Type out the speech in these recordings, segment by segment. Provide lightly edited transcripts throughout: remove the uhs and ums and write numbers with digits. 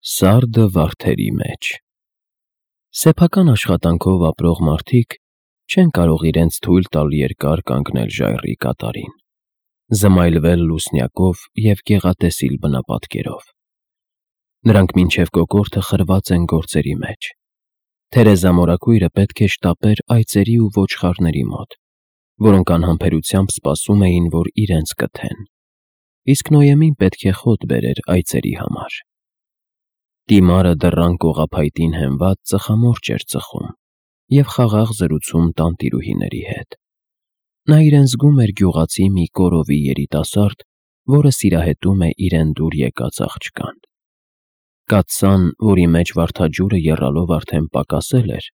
Սարդը վարդերի մեջ Սեփական աշխատանքով ապրող մարդիկ չեն կարող իրենց թույլ տալ երկար կանգնել ժայռի կատարին, զմայլվել լուսնյակով և գեղատեսիլ բնապատկերով։ Նրանք մինչև կոկորդը խրված են գործերի մեջ։ Թերեզա մորաքույրը պետք է շտապեր այծերի ու ոչխարների մոտ, որոնք անհամբերությամբ սպասում էին, որ իրենց կթեն, իսկ Նոյեմին պետք է խոտ բերեր այծերի համար։ Տիմարը դռան կողափայտին հենված ծխամորճ էր ծխում և խաղաղ զրուցում տանտիրուհիների հետ։ Նա իրեն զգում էր գյուղացի մի կորովի երիտասարդ, որը սիրահետում է իրեն դուր եկած աղջկան։ Կաթսան, որի մեջ վարդաջուրը եռալով արդեն պակասել էր,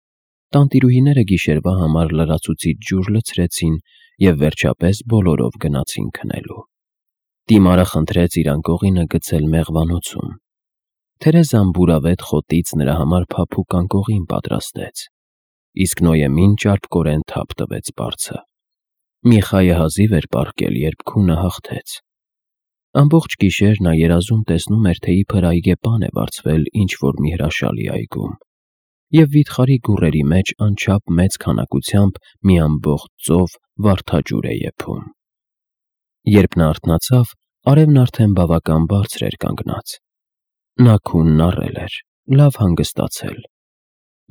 տանտիրուհիները գիշերվա համար լրացուցիչ ջուր լցրեցին և վերջապես բոլորով գնացին քնելու։ Տիմարը խնդրեց իր անկողինը գցել մեղվանոցում։ Թերեզան բուրավետ խոտից նրա համար փափուկ անկողին պատրաստեց, իսկ Նոյեմին ճարպկորեն թափ տվեց բարձը։ Միխայը հազիվ էր պառկել, երբ քունը հաղթեց։ Ամբողջ գիշեր նա երազում տեսնում էր, թե իբր այգեպան է վարձվել ինչ-որ մի հրաշալի այգում, և վիթխարի գուռերի մեջ անչափ մեծ քանակությամբ մի ամբողջ ծով վարդաջուր է եփում։ Երբ նա արթնացավ, արևն արդեն բավական բարձր էր կանգնած։ Նա քունն առել էր, լավ հանգստացել։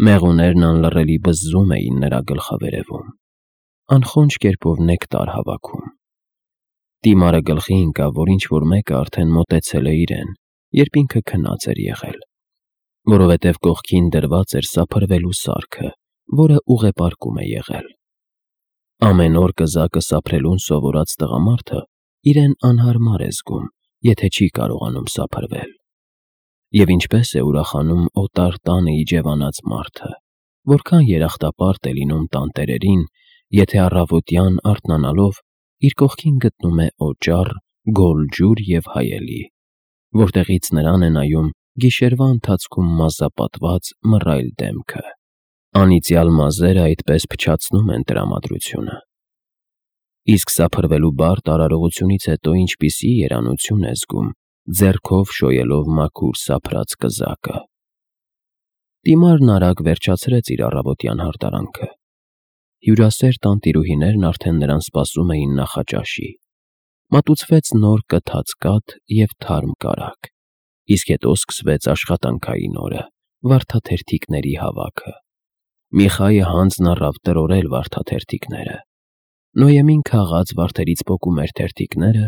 Մեղուներն անլռելի բզզում էին նրա գլխավերևում, անխոնջ կերպով նեկտար հավաքում։ Տիմարը գլխի ընկավ, որ ինչ-որ մեկը արդեն մոտեցել է իրեն, երբ ինքը քնած էր եղել, որովհետև կողքին դրված էր սափրվելու սարքը, որը ուղեպարկում է եղել։ Ամեն օր կզակը սափրելուն սովորած տղամարդը իրեն անհարմար է զգում, եթե չի կարողանում սափրվել։ Եվ ինչպես է ուրախանում օտար տանը իջևանած մարդը, որքան երախտապարտ է լինում տանտերերին, եթե առավոտյան արթնանալով իր կողքին գտնում է օճառ, գոլ ջուր և հայելի, որտեղից նրան է նայում գիշերվա ընթացքում մազապատված մռայլ դեմքը։ Անիծյալ մազերը այդպես փչացնում են տրամադրությունը։ Իսկ սափրվելու բարդ արարողությունից հետո ինչպիսի երանություն է զգում ձեռքով շոյելով մաքուր սափրած կզակը։ Տիմարն արագ վերջացրեց իր առավոտյան հարդարանքը։ Հյուրասեր տանտիրուհիներն արդեն նրան սպասում էին նախաճաշի։ Մատուցվեց նոր կթած կաթ և թարմ կարագ, իսկ հետո սկսվեց աշխատանքային օրը՝ վարդաթերթիկների հավաքը։ Միխայը հանձն առավ տրորել վարդաթերթիկները։ Նոյեմին քաղած վարդերից պոկում էր թերթիկները,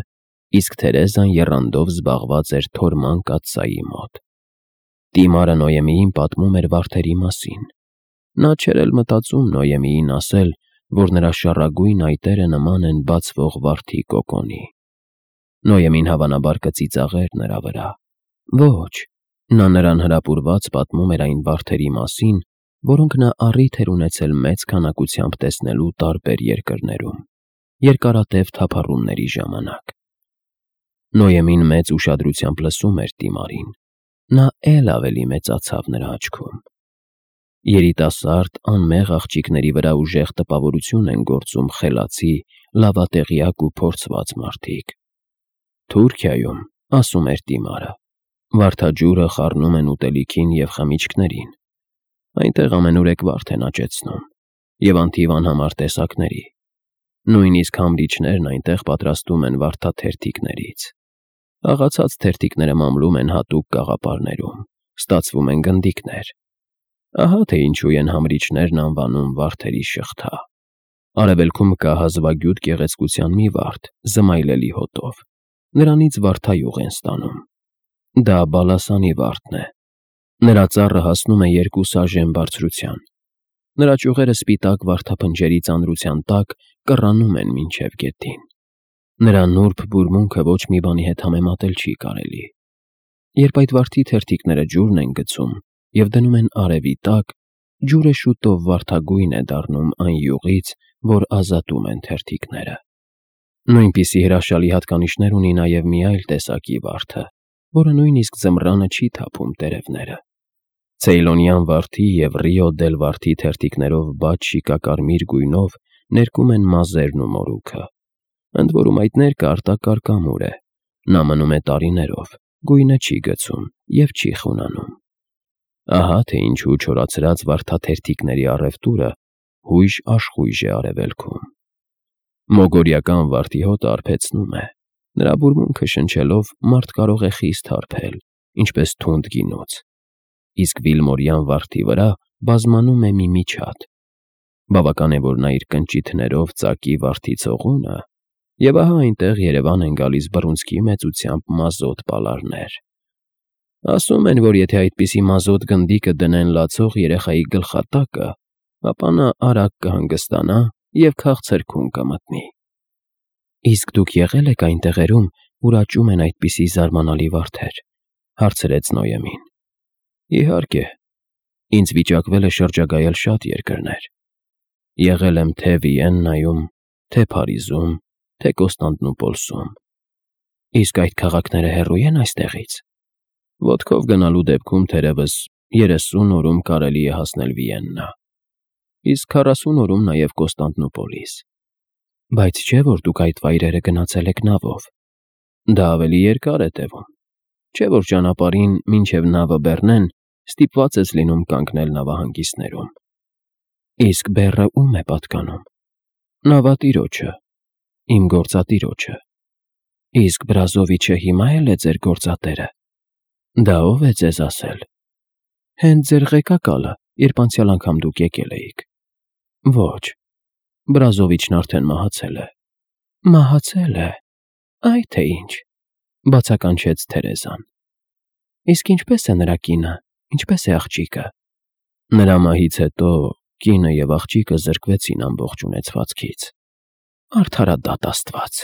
իսկ Թերեզան եռանդով զբաղված էր թորման կաթսայի մոտ։ Տիմարը Նոյեմիին պատմում էր վարդերի մասին։ Նա չէր էլ մտածում Նոյեմիին ասել, որ նրա շառագույն այտերը նման են բացվող վարդի կոկոնի։ Նոյեմին հավանաբար կծիծաղեր նրա վրա։ Ոչ, նա նրան հրապուրված պատմում էր այն վարդերի մասին, որոնք նա առիթ էր ունեցել մեծ քանակությամբ տեսնելու տարբեր երկրներում, երկարատև թափառումների ժամանակ։ Նոյեմին մեծ ուշադրությամբ լսում էր Տիմարին։ Նա էլ ավելի մեծացավ նրա աչքում։ Երիտասարդ, անմեղ աղջիկների վրա ուժեղ տպավորություն են գործում խելացի, լավատեղյակ ու փորձված մարդիկ։ Թուրքիայում, ասում էր Տիմարը, վարդաջուրը խառնում են ուտելիքին և խմիչքներին։ Այնտեղ ամենուրեք վարդ են աճեցնում և անթիվ անհամար տեսակների։ Նույնիսկ համրիչներն այնտեղ պատրաստում են վարդաթերթիկներից։ Աղացած թերթիկները մամլում են հատուկ կաղապարներում, ստացվում են գնդիկներ։ Ահա թե ինչու են համրիչներն անվանում վարդերի շղթա։ Արևելքում կա հազվագյուտ գեղեցկության մի վարդ, զմայլելի հոտով։ Նրանից վարդայուղ են ստանում։ Դա բալասանի վարդն է։ Նրա ծառը հասնում է 2 սաժեն բարձրության։ Նրա ճյուղերը սպիտակ վարդափնջերի ծանրության տակ կռանում են մինչև գետին։ Նրա նուրբ բուրմունքը ոչ մի բանի հետ համեմատել չի կարելի։ Երբ այդ վարդի թերթիկները ջուրն են գցում և դնում են արևի տակ, ջուրը շուտով վարդագույն է դառնում այն յուղից, որ ազատում են թերթիկները։ Նույնպիսի հրաշալի հատկանիշներ ունի նաև մի այլ տեսակի վարդը, որը նույնիսկ ձմռանը չի թափում տերևները։ Ցեյլոնյան վարդի և Ռիո դել վարդի թերթիկներով բաց շիկակարմիր գույնով ներկում են մազերն ու մորուքը։ Ընդ որում այդ ներկը արտակարգ ամուր է։ Նա մնում է տարիներով, գույնը չի գցում և չի խունանում։ Ահա թե ինչու չորացրած վարդաթերթիկների առևտուրը հույժ աշխույժ է արևելքում։ Մոգորիական վարդի հոտը արբեցնում է, նրա բուրմունքը շնչելով մարդ կարող է խիստ հարբել, ինչպես թունդ գինուց, իսկ վիլմորյան վարդի վրա բազմանում է մի միջատ։ Բավական է, որ նա իր կնճիթներով ծակի վարդի ցողունը, և ահա այնտեղ երևան են գալիս բռունցքի մեծությամբ մազոտ պալարներ։ Ասում են, որ եթե այդպիսի մազոտ գնդիկը դնեն լացող երեխայի գլխատակը, ապա նա արագ կհանգստանա և քաղցրքում կմտնի։ Իսկ դուք եղե՞լ եք այն տեղերում, ուր աճում են այդպիսի զարմանալի վարդեր, հարցրեց Նոյեմին։ Իհարկե, ինձ վիճակվել է շրջագայել շատ երկրներ։ Եղել եմ թե Վիեննայում, թե Փարիզում, թե Կոստանդնուպոլսում։ Իսկ այդ քաղաքները հեռու են այստեղից։ Ոտքով գնալու դեպքում թերևս 30 օրում կարելի է հասնել Վիեննա, իսկ 40 օրում նաև Կոստանդնուպոլիս։ Բայց չէ՞ որ դուք այդ վայրերը գնացել եք նավով։ Դա ավելի երկար է տևում։ Չէ՞ որ ճանապարհին մինչև նավը բեռնեն ստիպված ես լինում կանգնել նավահանգիստներում։ Իսկ բեռը ո՞ւմ է պատկանում։ Նավատիրոջը, իմ գործատիրոջը։ Իսկ Բրազովիչը հիմա էլ է ձեր գործատերը։ Դա ո՞վ է ձեզ ասել։ Հենց ձեր ղեկակալը, երբ անցյալ անգամ դուք եկել էիք։ Ոչ, Բրազովիչն արդեն մահացել է։ Մահացել է։ Այ թե ինչ, բացականչեց Թերեզան։ Իսկ ինչպես է նրա կինը, ինչպես է աղջիկը։ Նրա մահից հետո կինը և աղջիկը զրկվեցին ամբողջ ունեցվածքից։ Արդարադատ Աստված,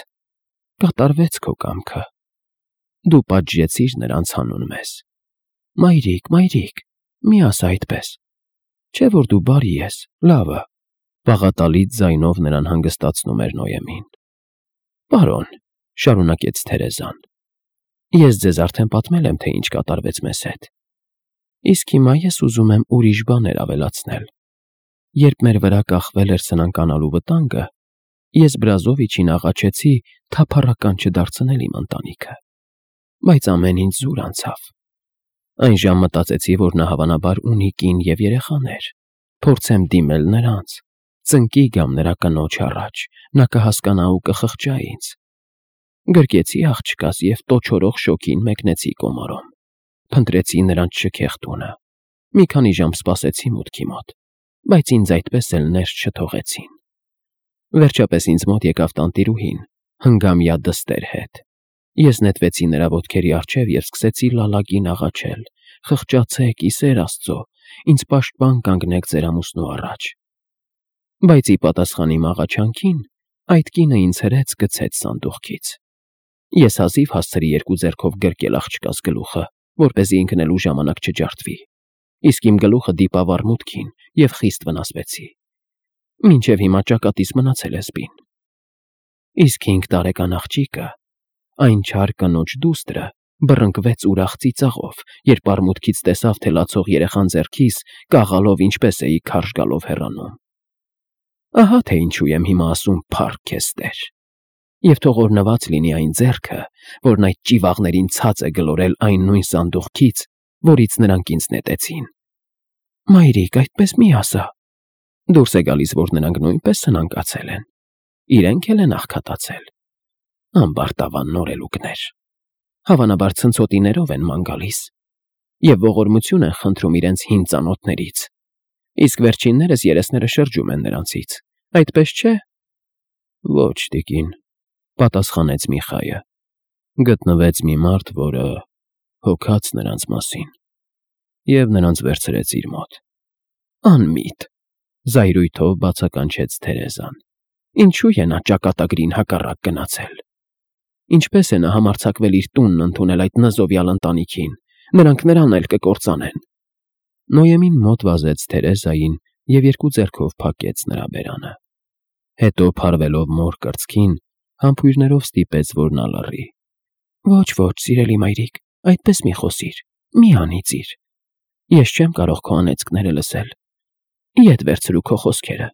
կատարվեց քո կամքը։ Դու պատժեցիր նրանց հանուն մեզ։ Մայրիկ, մի ասա այդպես։ Չէ՞ որ դու բարի ես, լավը։ Բաղատալից ձայնով նրան հանգստացնում էր Նոյեմին։ Պարոն, շարունակեց Թերեզան, ես ձեզ արդեն պատմել եմ, թե ինչ կատարվեց մեզ հետ։ Իսկ հիմա ես ուզում եմ ուրիշ բաներ ավելացնել։ Երբ մեր վրա կախվել էր սնանկանալու վտանգը, ես Բրազովիչին աղաչեցի թափառական չդարձնել իմ ընտանիքը։ Բայց ամեն ինչ զուր անցավ։ Այն ժամ մտածեցի, որ նա հավանաբար ունի կին և երեխաներ։ Փորձեմ դիմել նրանց, ծնկի գամ նրա կնոջ առաջ, նա կհասկանա ու կխղճա ինձ։ Գրկեցի աղջկաս և տոչորող շոգին մեկնեցի կոմարում։ Փնտրեցի նրանց շքեղ տունը։ Մի քանի ժամ սպասեցի մուտքի մոտ, բայց ինձ այդպես էլ ներս չթողեցին։ Վերջապես ինձ մոտ եկավ տանտիրուհին, հնգամյա դստեր հետ։ Ես նետվեցի նրա ոտքերի առջև և սկսեցի լալագին աղաչել. «Խղճացեք, ի սեր Աստծո, ինձ պաշտպան կանգնեք ձեր ամուսնու առաջ»։ Բայց ի պատասխան իմ աղաչանքին, այդ կինը ինձ հրեց գցեց սանդուղքից։ Ես հազիվ հասցրի երկու ձեռքով գրկել աղջկաս գլուխը, որպեսզի ինքն էլ ու ժամանակ չջարդվի, իսկ իմ գլուխը դիպավ արմուտքին և խիստ վնասվեցի։ Մինչև հիմա ճակատիս մնացել է սպին։ Իսկ 5 տարեկան աղջիկը, այն չար կնոջ դուստրը, բռնկվեց ուրախ ծիծաղով, երբ արմուտքից տեսավ, թե լացող երեխան ձեռքիս կաղալով ինչպես էի քարշ գալով հեռանում։ Ահա թե ինչու եմ հիմա ասում «Փառք քեզ, Տեր», և թող օրհնված լինի այն ձեռքը, որն այդ ճիվաղներին ցած է գլորել այն նույն սանդուղքից, որից նրանք ինձ նետեցին։ Մայրիկ, այդպես մի ասա։ Դուրս է գալիս, որ նրանք նույնպես սնանկացել են։ Իրենք էլ են աղքատացել։ Ամբարտավան նորելուկներ։ Հավանաբար ցնցոտիներով են ման գալիս և ողորմություն են խնդրում իրենց հին ծանոթներից, իսկ վերջիններս երեսները շրջում են նրանցից, այդպես չէ։ Ոչ, տիկին, պատասխանեց Միխայը։ Գտնվեց մի մարդ, որը հոգաց նրանց մասին և նրանց վերցրեց իր մոտ։ Անմիտ, զայրույթով բացականչեց Թերեզան։ Ինչու է նա ճակատագրին հակառակ գնացել։ Ինչպես է նա համարձակվել իր տունն ընդունել այդ նզովյալ ընտանիքին, նրանք նրան էլ կկործանեն։ Նոյեմին մոտ վազեց Թերեզային և երկու ձեռքով փակեց նրա բերանը։ Հետո փարվելով մոր կրծքին, համբույրներով ստիպեց, որ նա լռի։ Ոչ, սիրելի մայրիկ, այդպես մի խոսիր, մի անիծիր։ Ես չեմ կարող քո անեծքները լսել։ Ետ վերցրու քո խոսքերը,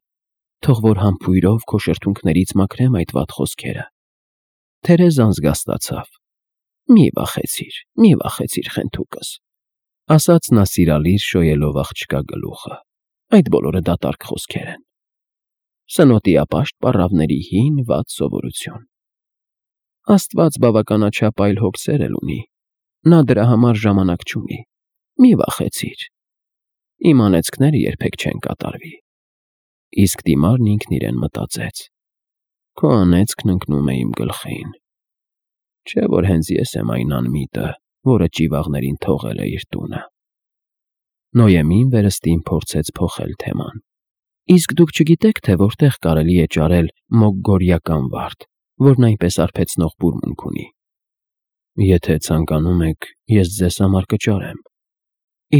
թող որ համբույրով քո շրթունքներից մաքրեմ այդ վատ խոսքերը։ Թերեզան զգաստացավ։ Մի վախեցիր, խենթուկս, ասաց նա սիրալիր շոյելով աղջկա գլուխը, այդ բոլորը դատարկ խոսքեր են։ Սնոտիապաշտ պառավների հին վատ սովորություն։ Աստված բավականաչափ այլ հոգսեր էլ ունի, նա դրա համար ժամանակ չունի, մի վախեցիր, իմ անեծքները երբեք չեն կատարվի։ Իսկ դիմարն ինքն իրեն մտածեց. քո անեծքն ընկնում է իմ գլխին, չէ որ հենց ես եմ այն անմիտը, որը ճիվաղներին թողել է իր տունը։ Նոյեմին վերստին փորձեց փոխել թեման. Իսկ դուք չգիտեք, թե որտեղ կարելի է ճարել մոգգորիական վարդ, որն այնպես արբեցնող բուրմունք ունի։ Եթե ցանկանում եք, ես ձեզ համար կճարեմ։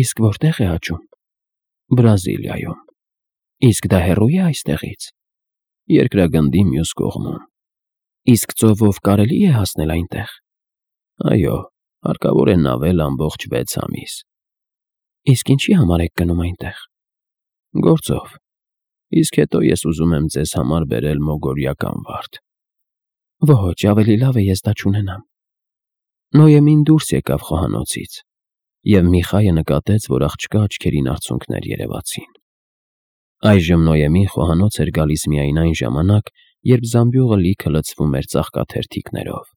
Իսկ որտեղ է աճում։ Բրազիլիայում։ Իսկ դա հեռու է այստեղից։ Երկրագնդի մյուս կողմում։ Իսկ ծովով կարելի է հասնել այնտեղ։ Այո, հարկավոր է նավել ամբողջ 6 ամիս։ Իսկ ինչի համար եք գնում այնտեղ։ Գործով։ Իսկ հետո ես ուզում եմ ձեզ համար բերել մոգորիական վարդ։ Ոչ, ավելի լավ է ես դա չունենամ։ Նոյեմին դուրս եկավ խոհանոցից, և Միխայը նկատեց, որ աղջկա աչքերին արցունքներ երևացին։ Այժմ Նոյեմին խոհանոց էր գալիս միայն այն ժամանակ, երբ զամբյուղը լիքը լցվում էր ծաղկաթերթիկներով։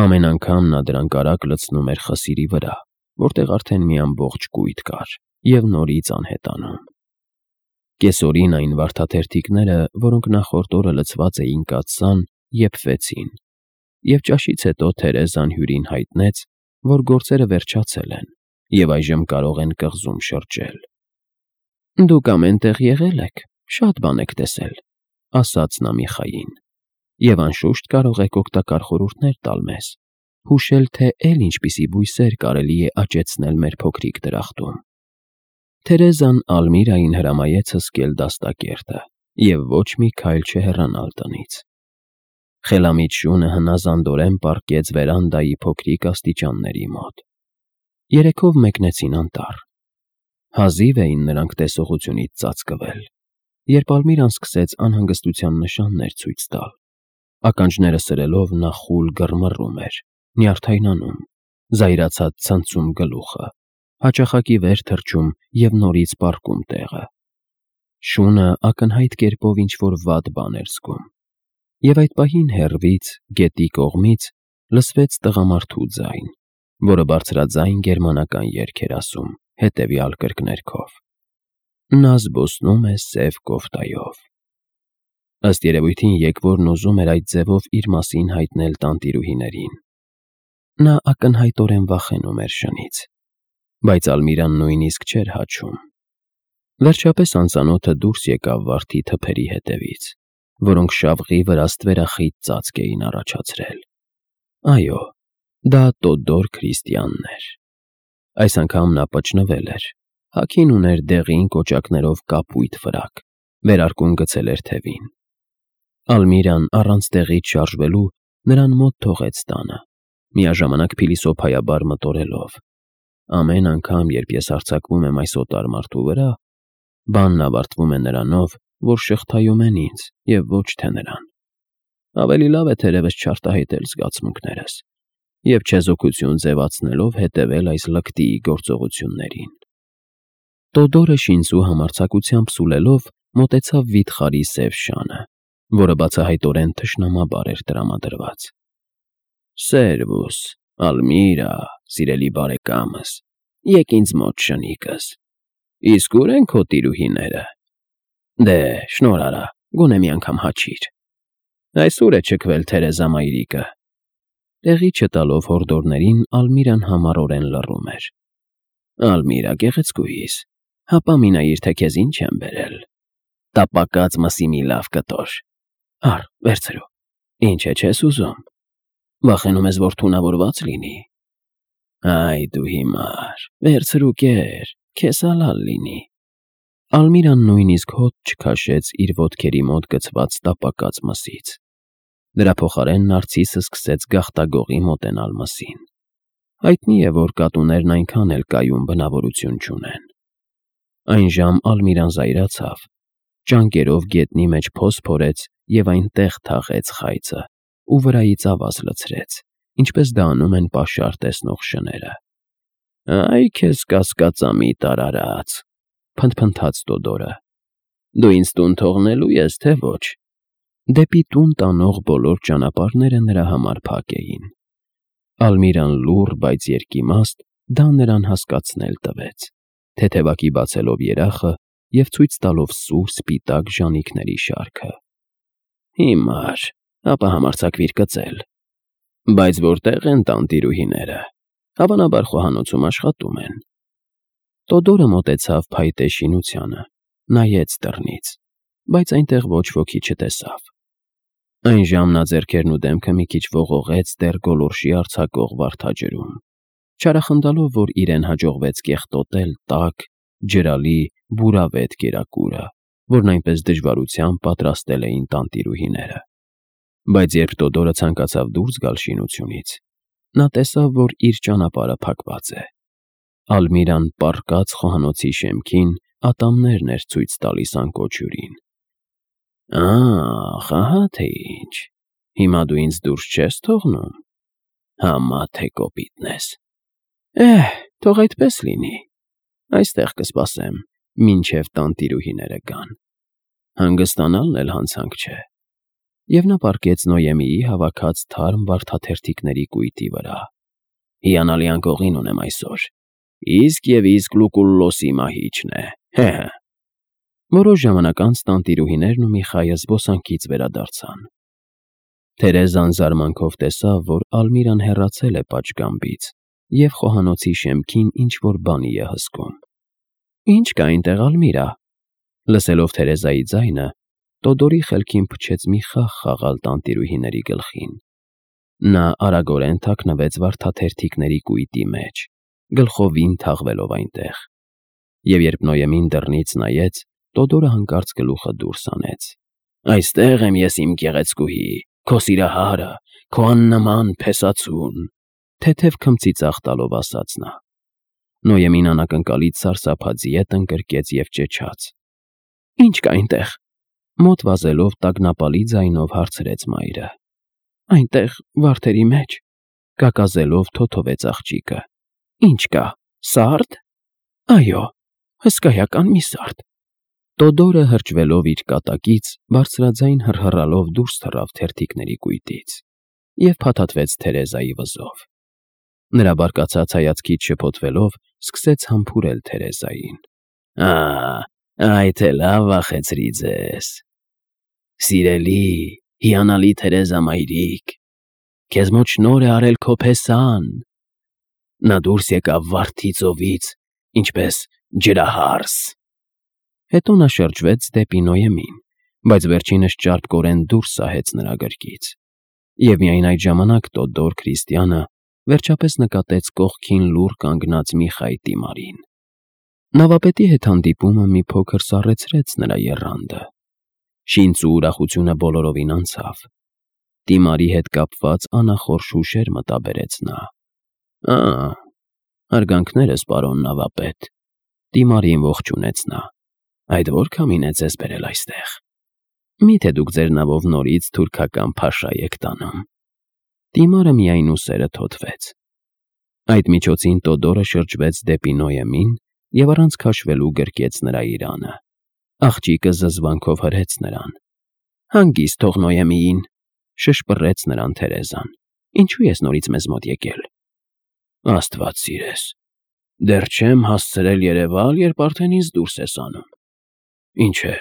Ամեն անգամ նա դրանք արագ լցնում էր խսիրի վրա, որտեղ արդեն մի ամբողջ կույտ կար, և նորից անհետանում։ Կեսօրին այն վարդաթերթիկները, որոնք նախորդ օրը լցված էին կաթսան, եփվեցին, և ճաշից հետո Թերեզան հյուրին հայտնեց, որ գործերը վերջացել են, և այժմ կարող են կղզում շրջել։ Դուք ամեն տեղ եղել եք, շատ բան եք տեսել, ասաց նա Միխային, և անշուշտ կարող եք օգտակար խորհուրդներ տալ մեզ, հուշել, թե էլ ինչպիսի բույսեր կարելի է աճեցնել մեր փոքրիկ դրախտում։ Թերեզան Ալմիրային հրամայեց հսկել դաստակերտը և ոչ մի քայլ չհեռանալ տնից։ Խելամիտ շունը հնազանդորեն պառկեց վերանդայի փոքրիկ աստիճանների մոտ։ Երեքով մեկնեցին անտառ։ Հազիվ էին նրանք տեսողությունից ծածկվել, երբ Ալմիրան սկսեց անհանգստության նշաններ ցույց տալ։ Ականջները սրելով նա խուլ գռմռում էր, նյարդայնանում, զայրացած ցնցում գլուխը, հաճախակի վեր թռչում և նորից պառկում տեղը։ Շունը ակնհայտ կերպով ինչ-որ վատ բան էր զգում։ Եվ այդ պահին հեռվից, գետի կողմից, լսվեց տղամարդու ձայն, որը բարձրաձայն գերմանական երգ էր ասում, հետևյալ կրկներգով. Նա զբոսնում է սև կոֆտայով։ Ըստ երևույթին եկվորն ուզում էր այդ ձևով իր մասին հայտնել տանտիրուհիներին։ Նա ակնհայտորեն վախենում էր շնից, բայց Ալմիրան նույնիսկ չէր հաչում։ Վերջապես անծանոթը դուրս եկավ վարդի թփերի հետևից, որոնք շավղի վրա ստվերախիտ ծածկ էին առաջացրել։ Այո, դա Տոդոր Քրիստիանն էր։ Այս անգամ նա պճնվել էր, հագին ուներ դեղին կոճակներով կապույտ ֆրակ, վերարկուն գցել էր թևին։ Ալմիրան առանց տեղից շարժվելու նրան մոտ թողեց տանը, միաժամանակ փիլիսոփայաբար մտորելով. ամեն անգամ, երբ ես հարձակվում եմ այս օտար մարդու վրա, բանն ավարտվում է նրանով, որ շղթայում են ինձ և ոչ թե նրան։ Ավելի լավ է թերևս չարտահայտել զգացմունքներս և չեզոքություն ձևացնելով հետևել այս լկտիի գործողություններին։ Տոդորը շինծու համարձակությամբ սուլելով մոտեցավ վիթխարի սև շանը, որը բացահայտորեն թշնամաբար էր տրամադրված։ Սերվուս, Ալմիրա, սիրելի բարեկամս, եկ ինձ մոտ շնիկս։ Իսկ ուր են քո տիրուհիները։ Դե, շնորհ արա, գոնե մի անգամ հաչիր։ Այսուր է չքվել Թերեզա մայրիկը։ Տեղի չտալով հորդորներին Ալմիրան համառորեն լռում էր։ Ալմիրա, գեղեցկուհիս, հապա մի նայիր, թե քեզ ինչ եմ բերել։ Տապակած մսի մի լավ կտոր։ Առ, վերցրու։ Ինչ է չես ուզում։ Վախենում ես, որ թունավորված լինի։ Այ դու հիմար, վերցրու կեր, քեզ ալալ լինի։ Ալմիրան նույնիսկ հոտ չքաշեց իր ոտքերի մոտ գցված տապակած մսից։ Դրա փոխարեն Նարցիսը սկսեց գաղտագողի մոտենալ մսին։ Հայտնի է, որ կատուներն այնքան էլ կայուն բնավորություն չունեն։ Այն ժամ Ալմիրան զայրացավ, ճանկերով գետնի մեջ փոս փորեց և այնտեղ թաղեց խայծը ու վրայից ավազ լցրեց, ինչպես դա անում են պաշար տեսնող շները։ «Այ քեզ կասկածամիտ արարած», փնթփնթաց Տոդորը։ «Դու ինձ տուն թողնելու ես, թե ոչ»։ Դեպի տուն տանող բոլոր ճանապարհները նրա համար փակ էին։ Ալմիրան լուռ, բայց երկիմաստ դա նրան հասկացնել տվեց, թեթևակի բացելով երախը և ցույց տալով սուր սպիտակ ժանիքների շարքը։ «Հիմար, ապա համարձակվիր կծել։ Բայց որտե՞ղ են տանտիրուհիները։ Հավանաբար խոհանոցում աշխատում են»։ Տոդորը մոտեցավ փայտե շինությանը, նայեց դռնից, բայց այնտեղ ոչ ոքի չտեսավ։ Այն ժամ նա ձեռքերն ու դեմքը մի քիչ ողողեց դեռ գոլորշի արձակող վարդաջրում, չարախնդալով, որ իրեն հաջողվեց կեղտոտել տաք, ջրալի, բուրավետ կերակուրը, որն այնպես դժվարությամբ պատրաստել էին տանտիրուհիները։ Բայց երբ Տոդորը ցանկացավ դուրս գալ շինությունից, նա տեսավ, որ իր ճանապարհը փակված է։ Ալմիրան պառկած խոհանոցի շեմքին ատամներն էր ցույց տալիս անկոչյուրին։ «Ահ, ահա թե ինչ, հիմա դու ինձ դուրս չես թողնում։ Համա թե կոպիտն ես։ Թող այդպես լինի։ Այստեղ կսպասեմ, մինչև տանտիրուհիները գան։ Հանգստանալն էլ հանցանք չէ»։ Եվ նա պառկեց Նոյեմիի հավաքած թարմ վարդաթերթիկների կույտի վրա։ «Հիանալի անկողին ունեմ այսօր։ Իսկ և իսկ Լուկուլլոսի մահիճն է, հե՛հ»։ Որոշ ժամանակ անց տանտիրուհիներն ու Միխայը զբոսանքից վերադարձան։ Թերեզան զարմանքով տեսավ, որ Ալմիրան հեռացել է պատշգամբից և խոհանոցի շեմքին ինչ-որ բանի է հսկում։ «Ի՞նչ կա այնտեղ, Ալմիրա»։ Լսելով Թերեզայի ձայնը, Տոդորի խելքին փչեց մի խաղ խաղալ տանտիրուհիների գլխին։ Նա արագորեն թաքնվեց վարդաթերթիկների կույտի մեջ, գլխովին թաղվելով այնտեղ։ Եվ երբ Նոյեմին դռնից նայեց, Տոդորը հանկարծ գլուխը դուրս հանեց։ «Այստեղ եմ ես, իմ գեղեցկուհի, քո սիրահարը, քո աննման փեսացուն», թեթև քմծիծաղ տալով ասաց նա։ Նոյեմին անակնկալից սարսափած ետ ընկրկեց և ճչաց. «Ի՞նչ կա այնտեղ»։ Մոտ վազելով տագնապալի ձայնով հարցրեց մայրը։ «Այնտեղ, վարդերի մեջ», կակազելով թոթվեց աղջիկը։ «Ի՞նչ կա, սա՞րդ»։ «Այո, հսկայական մի սարդ»։ Տոդորը հրճվելով իր կատակից, բարձրաձայն հռհռալով դուրս թռավ թերթիկների կույտից և փաթաթվեց Թերեզայի վզով։ Նրա բարկացած հայացքից շփոթվելով, սկսեց համբուրել Թերեզային։ Այ թե լավ վախեցրի ձեզ։ Սիրելի, հիանալի Թերեզա մայրիկ, քեզ մոտ շնորհ է արել քո փեսան։ Նա դուրս եկավ վարդի ծովից, ինչպես ջրահարս։ Հետո նա շրջվեց դեպի Նոյեմին, բայց վերջինս ճարպկորեն դուրս սահեց նրա գրկից։ Եվ միայն այդ ժամանակ Տոդոր Քրիստիանը վերջապես նկատեց կողքին լուռ կանգնած Միխայ Տիմարին։ Նավապետի հետ հանդիպումը մի փոքր սառեցրեց նրա եռանդը։ Շինծու ուրախությունը բոլորովին անցավ։ Տիմարի հետ կապված անախորժ հուշեր մտաբերեց նա։ Հարգանքներս, պարոն նավապետ։ Տիմարին ողջունեց նա։ Այդ ո՞ր քամին է ձեզ բերել այստեղ։ Մի՞թե դուք ձեր նավով նորից թուրքական փաշա եք տանում։ Տիմարը միայն ուսերը թոթվեց։ Այդ միջոցին Տոդորը շրջվեց դեպի Նոյեմին և առանց քաշվելու գրկեց նրա իրանը։ Աղջիկը զզվանքով հրեց նրան։ «Հանգիստ թող Նոյեմիին», շշպռեց նրան Թերեզան։ «Ինչու ես նորից մեզ մոտ եկել»։ «Աստված սիրես, դեռ չեմ հասցրել երևալ, երբ արդեն ինձ դուրս ես անում։ Ինչ է,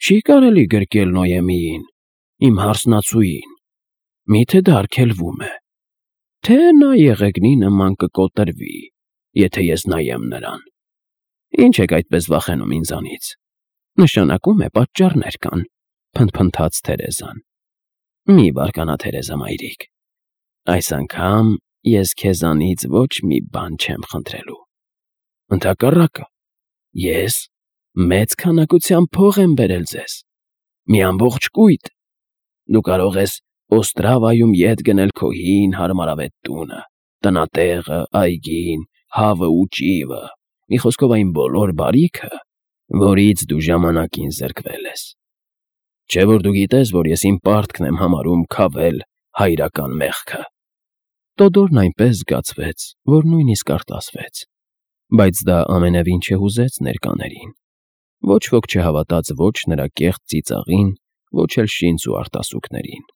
չի կարելի գրկել Նոյեմիին, իմ հարսնացուին։ Մի՞թե դա արգելվում է, թե նա եղեգնի նման կկոտրվի, եթե ես նայեմ նրան։ Ինչ եք այդպես վախենում ինձանից։ Նշանակում է պատճառներ կան», փնթփնթաց Թերեզան։ «Մի բարկանա, Թերեզա մայրիկ։ Այս անգամ ես քեզանից ոչ մի բան չեմ խնդրելու։ Ընդհակառակը, ես մեծ քանակությամբ փող եմ բերել ձեզ, մի ամբողջ կույտ։ Դու կարող ես Օստրավայում ետ գնել քո հին հարմարավետ տունը, տնատեղը, այգին, հավը ու ճիվը, մի խոսքով այն բոլոր բարիքը, որից դու ժամանակին զրկվել ես։ Չէ՞ որ դու գիտես, որ ես իմ պարտքն եմ համարում քավել հայրական մեղքը։ Տոդորն այնպես զգացվեց, որ նույնիսկ արտասվեց, բայց դա ամենևին չհուզեց ներկաներին. ոչ ոք չհավատաց ոչ նրա կեղծ ծիծաղին, ոչ էլ շինծ ու արտասուքներին։